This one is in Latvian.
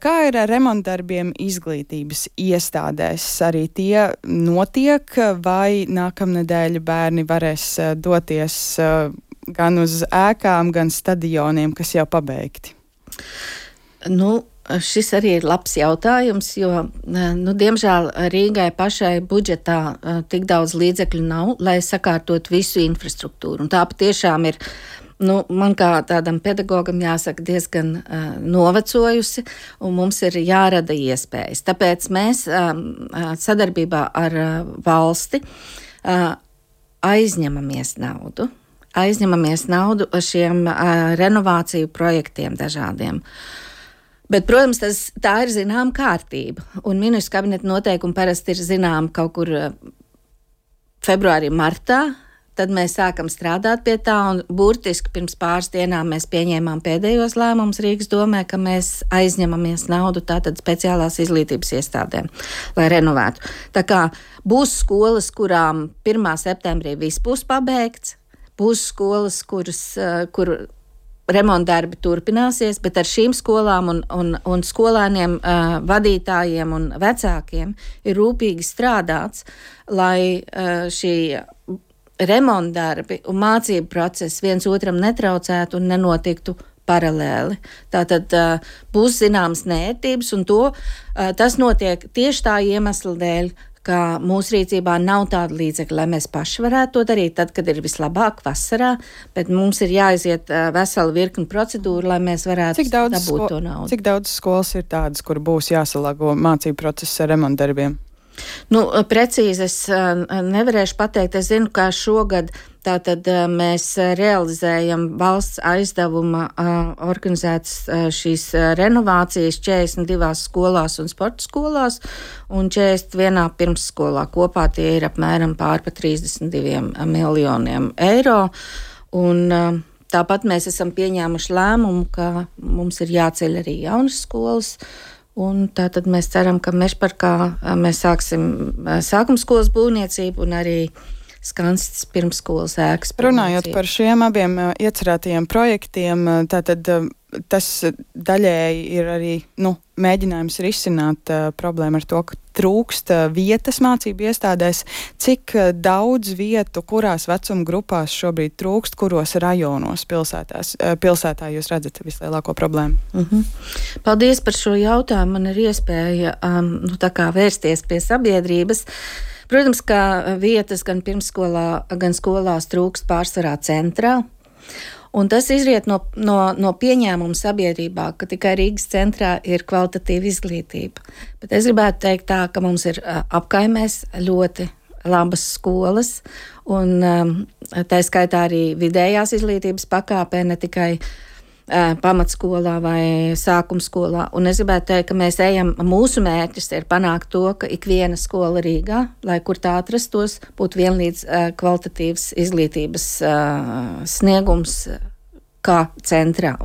Kā ir ar remontdarbiem izglītības iestādēs? Arī tie notiek, vai nākamnedēļ bērni varēs doties gan uz ēkām, gan stadioniem, kas jau pabeigti? Šis arī ir labs jautājums, jo, diemžēl Rīgai pašai budžetā tik daudz līdzekļu nav, lai sakārtot visu infrastruktūru. Un tā patiešām ir, man kā tādam pedagogam jāsaka, diezgan novecojusi, un mums ir jārada iespējas. Tāpēc mēs sadarbībā ar valsti aizņemamies naudu šiem renovāciju projektiem dažādiem. Bet, protams, tā ir zināma kārtība, un ministru kabineta noteikumi parasti ir zinām kaut kur februārī, martā, tad mēs sākam strādāt pie tā, un burtiski pirms pāris dienām mēs pieņēmām pēdējos lēmumus Rīgas domē, ka mēs aizņemamies naudu tātad speciālās izglītības iestādēm, lai renovētu. Tā kā būs skolas, kurām 1. septembrī viss būs pabeigts, būs skolas, kur remontdarbi turpināsies, bet ar šīm skolām un skolēniem, vadītājiem un vecākiem ir rūpīgi strādāts, lai šī remontdarbi un mācību process viens otram netraucētu un nenotiktu paralēli. Tātad būs zināmas neērtības, un tas notiek tieši tā iemesla dēļ, ka mūsu rīcībā nav tāda līdzekļa, lai mēs paši varētu to darīt, tad, kad ir vislabāk vasarā, bet mums ir jāiziet vesela virkni procedūru, lai mēs varētu dabūt to naudu. Cik daudz skolas ir tādas, kur būs jāsalāgo mācību process ar remontdarbiem? Precīzi es nevarēšu pateikt. Es zinu, ka šogad tātad mēs realizējam valsts aizdevuma organizētas šīs renovācijas 42 skolās un sporta skolās un 41 pirmsskolā. Kopā tie ir apmēram pār 32 miljoniem eiro. Un tāpat mēs esam pieņēmuši lēmumu, ka mums ir jāceļ arī jaunas skolas. Un tātad mēs ceram, ka Mežparkā mēs sāksim sākumskolas būvniecību un arī Skanstas pirmsskolas ēkas būvniecību. Runājot par šiem abiem iecerētajiem projektiem, tātad tas daļēji ir arī mēģinājums risināt problēmu ar to, ka trūkst vietas mācību iestādēs. Cik daudz vietu, kurās vecuma grupās šobrīd trūkst, kuros rajonos pilsētā jūs redzat vislielāko problēmu? Paldies par šo jautājumu. Man ir iespēja vērsties pie sabiedrības. Protams, ka vietas gan pirmsskolā, gan skolās trūkst pārsvarā centrā. Un tas izriet no pieņēmuma sabiedrībā, ka tikai Rīgas centrā ir kvalitatīva izglītība. Bet es gribētu teikt tā, ka mums ir apkaimēs ļoti labas skolas, un tā skaitā arī vidējās izglītības pakāpē, ne tikai pamatskolā vai sākumskolā. Un es gribētu teikt, ka mūsu mērķis ir panākt to, ka ikviena skola Rīgā, lai kur tā atrastos, būtu vienlīdz kvalitatīvs izglītības sniegums kā centrā. Un